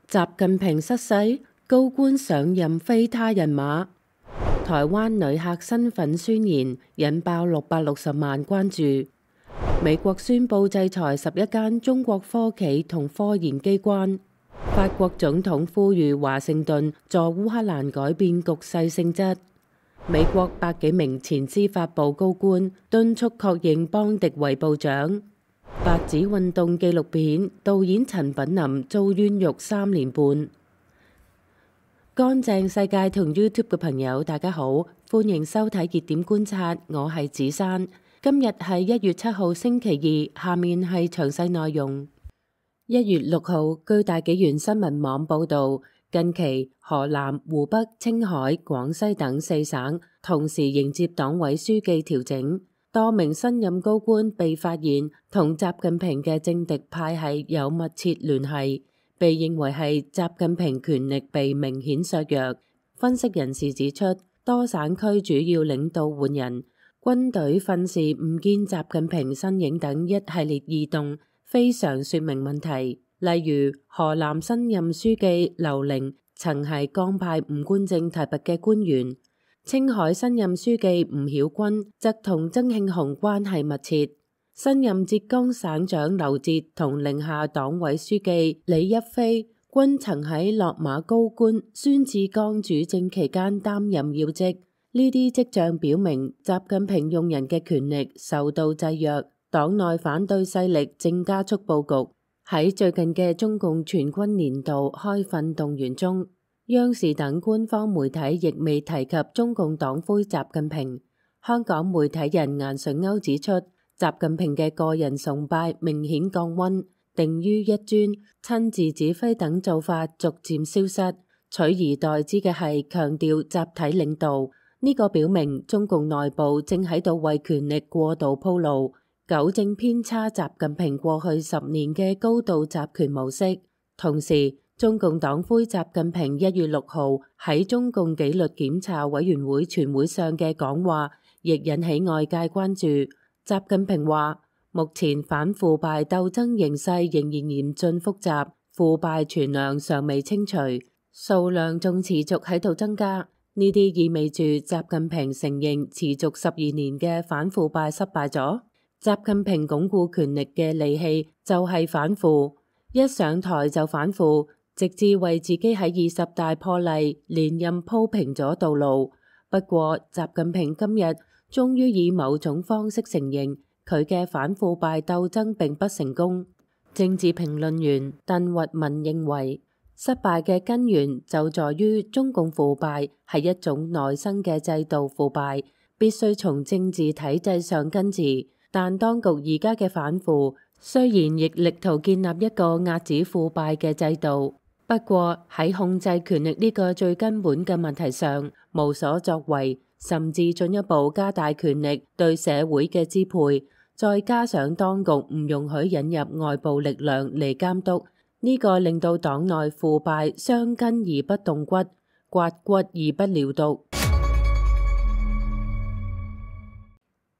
習近平失勢，高官上任非他人馬。台灣旅客身份宣言引爆660萬關注。美國宣布制裁11間中國科企同科研機關。法國總統呼籲華盛頓助烏克蘭改變局勢性質。美國百幾名前司法部高官敦促確認邦迪為部長。白紙運動紀錄片導演陳品林遭冤獄3年半。乾淨世界同 YouTube 嘅朋友，大家好，歡迎收睇熱點觀察，我係子珊。今日係1月7號星期二，下面係詳細內容。1月6號，據大紀元新聞網報導，近期河南、湖北、青海、廣西等4省同時迎接黨委書記調整，多名新任高官被發現同習近平嘅政敵派系有密切聯繫，被認為係習近平權力被明顯削弱。分析人士指出，多省區主要領導換人，軍隊訓示唔見習近平身影等一系列異動，非常說明問題。例如，河南新任書記劉寧曾係江派吳官正提拔嘅官員，青海新任書記吳曉軍則同曾慶紅關係密切。新任浙江省長劉哲同寧夏黨委書記李一飛均曾喺落馬高官孫志剛主政期間擔任要職。呢啲跡象表明，習近平用人嘅權力受到制約，黨內反對勢力正加速佈局。喺最近嘅中共全軍年度開訓動員中，央視等官方媒體亦未提及中共黨魁習近平。香港媒體人顏純鈎指出，習近平嘅個人崇拜明顯降溫，定於一尊，親自指揮等做法逐漸消失，取而代之嘅係強調集體領導。呢個表明中共內部正喺度為權力過度鋪路，糾正偏差習近平過去10年嘅高度集權模式。同時，中共黨魁習近平1月6號喺中共紀律檢查委員會全會上嘅講話，亦引起外界關注。習近平話：目前反腐敗鬥爭形勢仍然嚴峻複雜，腐敗存量尚未清除，數量仲持續喺度增加。呢啲意味住習近平承認持續12年嘅反腐敗失敗咗。習近平鞏固權力嘅利器就係反腐，一上台就反腐，直至為自己喺20大破例連任鋪平咗道路。不過，習近平今日終於以某種方式承認佢嘅反腐敗鬥爭並不成功。政治評論員鄧聿文認為，失敗嘅根源就在於中共腐敗係一種內生嘅制度腐敗，必須從政治體制上根治。但當局而家嘅反腐雖然亦力圖建立一個遏止腐敗嘅制度，不過喺控制權力呢個最根本嘅問題上無所作為，甚至進一步加大權力對社會嘅支配，再加上當局唔容許引入外部力量嚟監督，呢個令到黨內腐敗傷根而不動骨，刮骨而不療毒。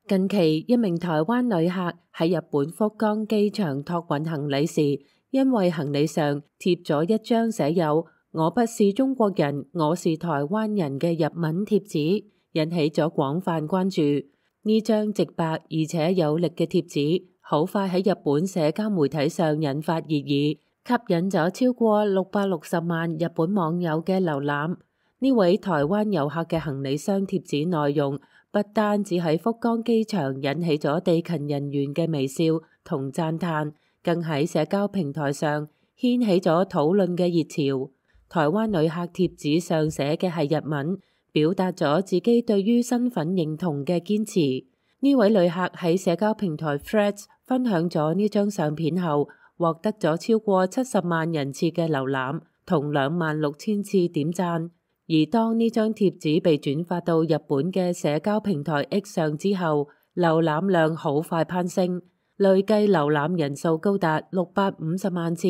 近期一名台灣旅客喺日本福岡機場託運行李時，因為行李上貼咗一張寫有「我不是中國人，我是台灣人」嘅日文貼紙，引起咗廣泛關注。呢張直白而且有力嘅貼紙，好快喺日本社交媒體上引發熱議，吸引咗超過660萬日本網友嘅瀏覽。呢位台灣遊客嘅行李箱貼紙內容，不單只喺福岡機場引起咗地勤人員嘅微笑同讚嘆，更喺社交平台上掀起咗討論嘅熱潮。台灣旅客貼紙上寫嘅係日文，表達咗自己對於身份認同嘅堅持。呢位旅客喺社交平台 Threads 分享咗呢張相片後，獲得咗超過70萬人次嘅瀏覽同26000次點讚。而當呢張貼紙被轉發到日本嘅社交平台 X 上之後，瀏覽量好快攀升，累計瀏覽人數高達650萬次，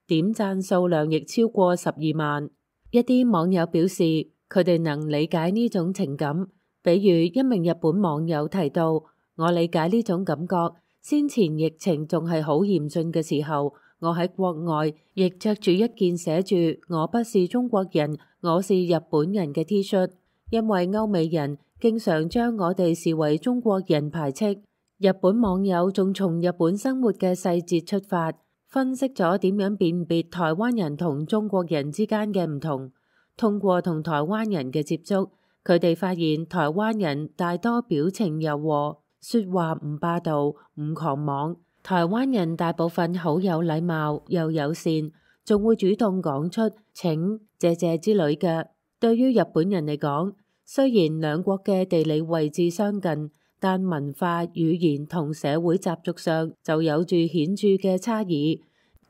點讚數量亦超過12萬。一啲網友表示，佢哋能理解呢種情感，比如一名日本網友提到：我理解呢種感覺，先前疫情仲係好嚴峻嘅時候，我喺國外亦着住一件寫住我不是中國人，我是日本人嘅 T 恤，因為歐美人經常將我哋視為中國人排斥。日本網友仲從日本生活嘅細節出發，分析咗點樣辨別台灣人同中國人之間嘅唔同。通過同台灣人嘅接觸，佢哋發現台灣人大多表情柔和，說話唔霸道、唔狂妄。台灣人大部分好有禮貌又友善，仲會主動講出請、謝謝之類嘅。對於日本人嚟講，雖然兩國嘅地理位置相近，但文化、語言同社會習俗上就有住顯著嘅差異。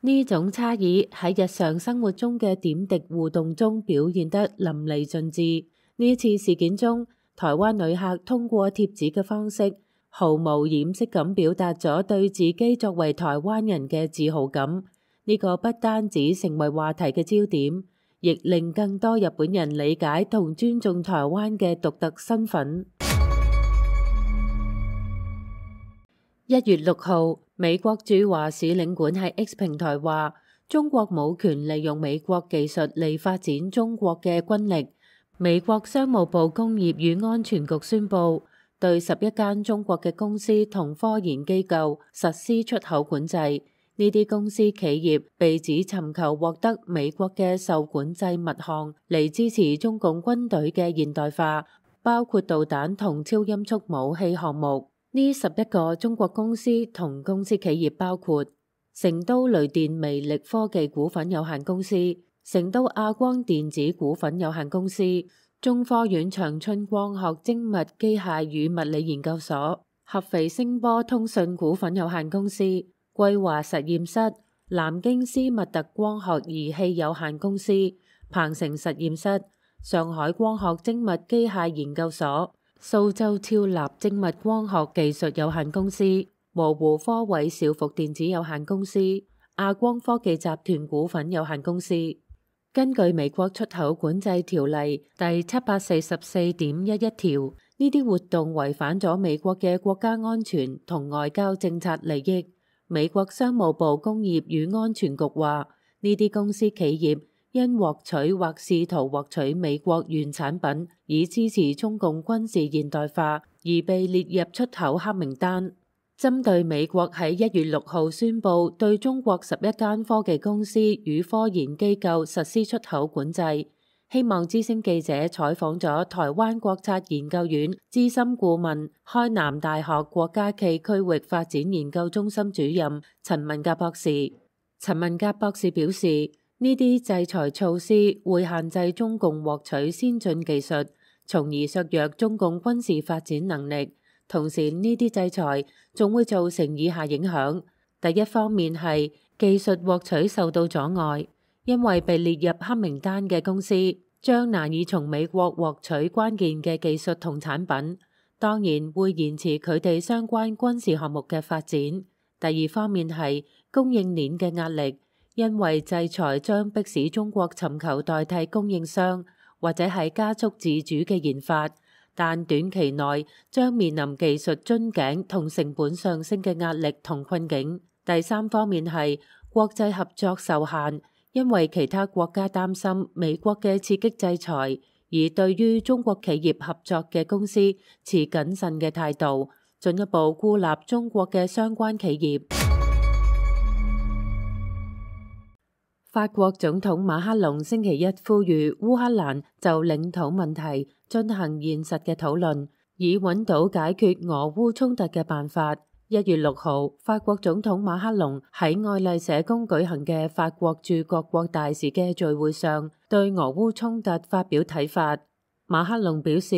呢種差異喺日常生活中嘅點滴互動中表現得淋漓盡致。呢次事件中，台灣旅客通過貼紙嘅方式，毫無掩飾咁表達咗對自己作為台灣人嘅自豪感。呢個不單止成為話題嘅焦點，亦令更多日本人理解同尊重台灣嘅獨特身份。1月6號，美國駐華使領館喺 X 平台話，中國冇權利用美國技術嚟發展中國嘅軍力。美國商務部工業與安全局宣布，對11間中國嘅公司同科研機構實施出口管制。呢啲公司企業被指尋求獲得美國嘅受管制物項嚟支持中共軍隊嘅現代化，包括導彈同超音速武器項目。呢11個中國公司同公司企業包括成都雷電微力科技股份有限公司、成都亞光電子股份有限公司、中科院長春光學精密機械與物理研究所、合肥聲波通訊股份有限公司、桂華實驗室、南京斯密特光學儀器有限公司、鵬城實驗室、上海光學精密機械研究所、蘇州超立精密光學技術有限公司、羅湖科偉兆福電子有限公司、亞光科技集團股份有限公司。根據美國出口管制條例第744.11條，呢啲活動違反咗美國嘅國家安全同外交政策利益。美國商務部工業與安全局話，呢啲公司企業因獲取或試圖獲取美國原產品，以支持中共軍事現代化，而被列入出口黑名單。針對美國喺1月6號宣布對中國11間科技公司與科研機構實施出口管制，希望之聲記者採訪咗台灣國策研究院資深顧問、開南大學國家暨區域發展研究中心主任陳文甲博士。陳文甲博士表示，呢啲制裁措施會限制中共獲取先進技術，從而削弱中共軍事發展能力。同時，呢啲制裁仲會造成以下影響：第一方面係技術獲取受到阻礙，因為被列入黑名單嘅公司將難以從美國獲取關鍵嘅技術同產品，當然會延遲佢哋相關軍事項目嘅發展。第二方面係供應鏈嘅壓力，因為制裁將迫使中國尋求代替供應商，或者係加速自主嘅研發。但短期內將面臨技術樽頸同成本上升嘅壓力同困境。第三方面係國際合作受限，因為其他國家擔心美國嘅刺激制裁，而對於中國企業合作嘅公司持謹慎嘅態度，進一步孤立中國嘅相關企業。法國總統馬克龍星期一呼籲烏克蘭就領土問題進行現實嘅討論，以揾到解決俄烏衝突嘅辦法。1月6號，法國總統馬克龍喺愛麗舍宮舉行嘅法國駐各國大使嘅聚會上，對俄烏衝突發表睇法。馬克龍表示，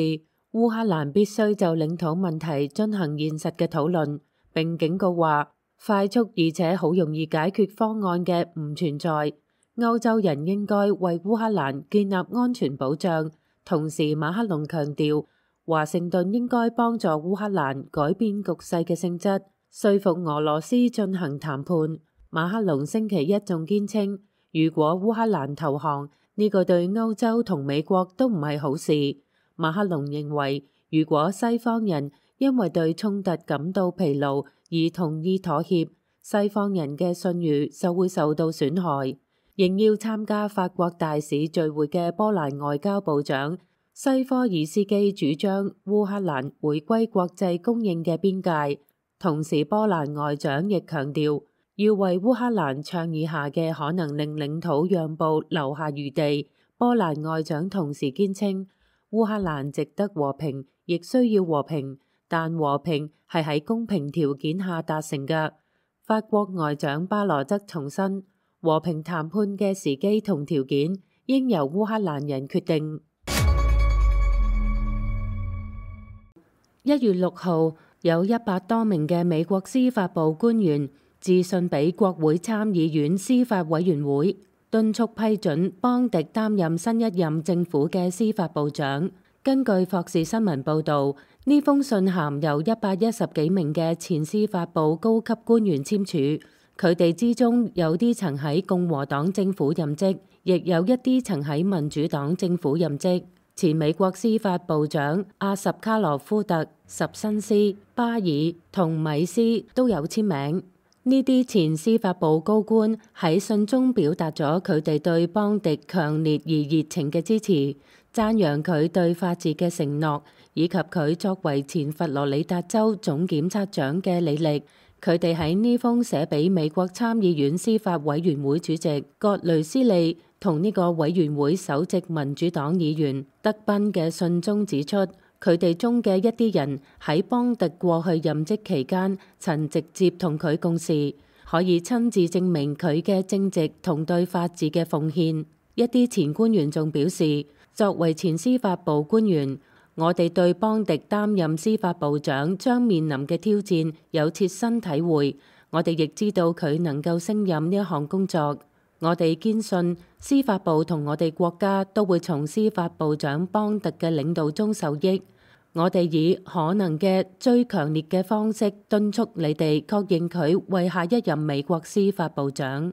烏克蘭必須就領土問題進行現實嘅討論，並警告話，快速而且好容易解決方案嘅唔存在。歐洲人應該為烏克蘭建立安全保障。同時，馬克龍強調，華盛頓應該幫助烏克蘭改變局勢嘅性質，說服俄羅斯進行談判。馬克龍星期一仲堅稱，如果烏克蘭投降，呢個對歐洲同美國都唔係好事。馬克龍認為，如果西方人因為對衝突感到疲勞而同意妥協，西方人嘅信譽就會受到損害。應邀參加法國大使聚會嘅波蘭外交部長西科爾斯基主張烏克蘭回歸國際公認嘅邊界，同時波蘭外長亦強調要為烏克蘭倡議下嘅可能令領土讓步留下餘地。波蘭外長同時堅稱烏克蘭值得和平，亦需要和平，但和平係喺公平條件下達成嘅。法國外長巴羅則重申，和平談判嘅時機同條件應由烏克蘭人決定。1月6號，有100多名嘅美國司法部官員致信俾國會參議院司法委員會，敦促批准邦迪擔任新一任政府嘅司法部長。根據霍士新聞報導，呢封信函由110幾名嘅前司法部高級官員簽署。佢哋之中有啲曾喺共和黨政府任職，亦有一啲曾喺民主黨政府任職。前美國司法部長阿什卡羅夫特、什辛斯、巴爾同米斯都有簽名。呢啲前司法部高官喺信中表達咗佢哋對邦迪強烈而熱情嘅支持，讚揚佢對法治嘅承諾，以及佢作為前佛羅里達州總檢察長嘅履歷。佢哋喺呢封寫俾美國參議院司法委員會主席葛雷斯利同呢個委員會首席民主黨議員德賓嘅信中指出，佢哋中嘅一啲人喺邦迪過去任職期間曾直接同佢共事，可以親自證明佢嘅正直同對法治嘅奉獻。一啲前官員仲表示，作為前司法部官員，我哋對邦迪擔任司法部長將面臨嘅挑戰有切身體會，我哋亦知道佢能夠勝任呢一項工作。我哋堅信司法部同我哋國家都會從司法部長邦迪嘅領導中受益。我哋以可能嘅最強烈嘅方式敦促你哋確認佢為下一任美國司法部長。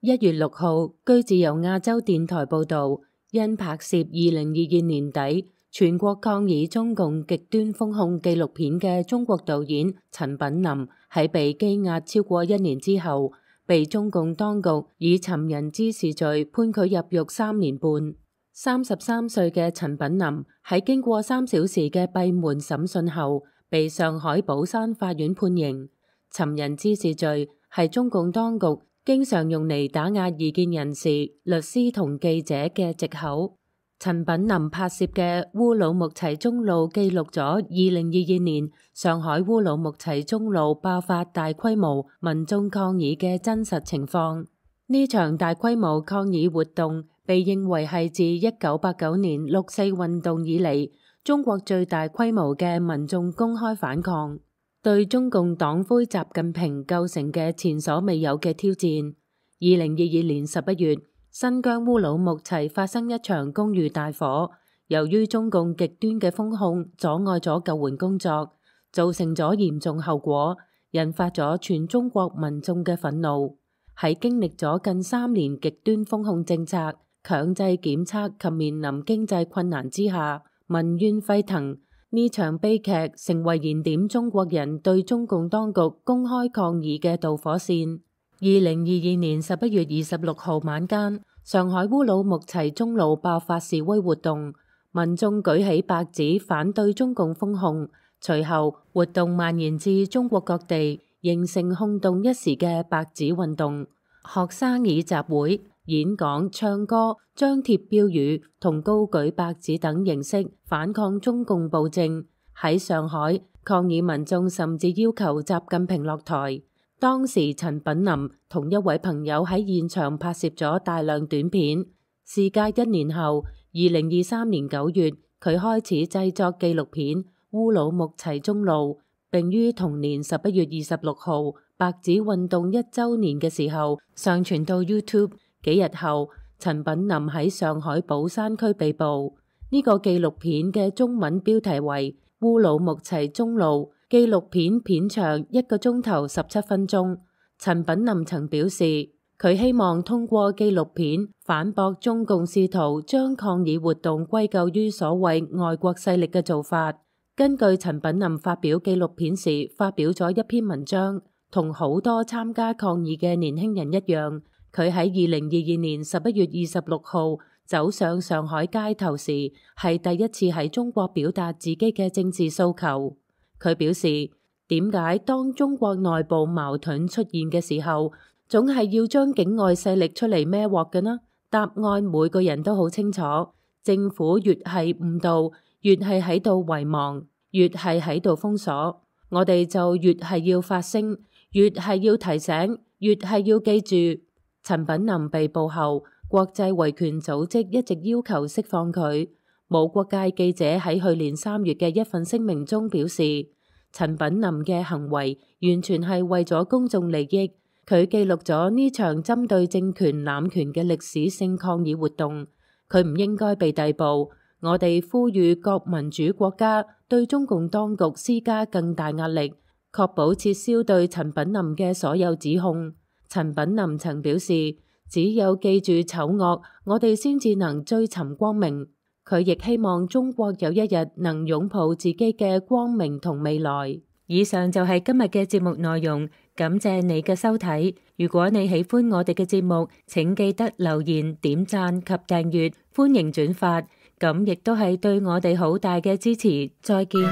1月6號，據自由亞洲電台報導，因拍攝2022年底全國抗議中共極端封控紀錄片嘅中國導演陳品林喺被羈押超過1年之後，被中共當局以尋釁滋事罪判佢入獄3年半。33歲嘅陳品林喺經過3小時嘅閉門審訊後，被上海寶山法院判刑。尋釁滋事罪係中共當局經常用嚟打壓異見人士、律師同記者嘅藉口。陳品林拍攝嘅烏魯木齊中路記錄咗2022年上海烏魯木齊中路爆發大規模民眾抗議嘅真實情況。呢場大規模抗議活動被認為係自1989年6四運動以嚟中國最大規模嘅民眾公開反抗，對中共黨魁習近平構成嘅前所未有嘅挑戰。2022年11月，新疆烏魯木齊發生一場公寓大火，由於中共極端嘅封控阻礙咗救援工作，造成咗嚴重後果，引發咗全中國民眾嘅憤怒。喺經歷咗近3年極端封控政策、強制檢測及面臨經濟困難之下，民怨沸騰。呢場悲劇成為燃點中國人對中共當局公開抗議嘅導火線。2022年11月26號晚間，上海烏魯木齊中路爆發示威活動，民眾舉起白紙反對中共封控，隨後活動蔓延至中國各地，形成轟動一時嘅白紙運動。學生以集會、演講、唱歌、張貼標語同高舉白紙等形式反抗中共暴政。喺上海，抗議民眾甚至要求習近平落台。當時陳品林同一位朋友喺現場拍攝咗大量短片。事隔1年後，2023年9月，佢開始製作紀錄片《烏魯木齊中路》，並於同年11月26號白紙運動1週年嘅時候上傳到 YouTube。幾日後，陳品林喺上海寶山區被捕。呢個紀錄片嘅中文標題為《烏魯木齊中路》。紀錄片片長1個鐘頭17分鐘。陳品林曾表示，佢希望通過紀錄片反駁中共試圖將抗議活動歸咎於所謂外國勢力嘅做法。根據陳品林發表紀錄片時發表咗一篇文章，同好多參加抗議嘅年輕人一樣，佢喺2022年11月26號走上上海街頭時，係第一次喺中國表達自己嘅政治訴求。佢表示，點解當中國內部矛盾出現嘅時候，總係要將境外勢力出嚟孭鑊嘅呢？答案每個人都好清楚，政府越係誤導，越係喺度遺忘，越係喺度封鎖，我哋就越係要發聲，越係要提醒，越係要記住。陳品林被捕後，國際維權組織一直要求釋放佢。無國界記者喺去年3月嘅一份聲明中表示，陳品林嘅行為完全係為咗公眾利益，佢記錄咗呢場針對政權濫權嘅歷史性抗議活動，佢唔應該被逮捕。我哋呼籲各民主國家對中共當局施加更大壓力，確保撤銷對陳品林嘅所有指控。陳品林曾表示，只有記住醜惡，我哋先至能追尋光明。佢亦希望中國有一日能擁抱自己嘅光明同未來。以上就係今日嘅節目內容，感謝你嘅收睇。如果你喜歡我哋嘅節目，請記得留言、點讚及訂閱，歡迎轉發，咁亦都係對我哋好大嘅支持。再見。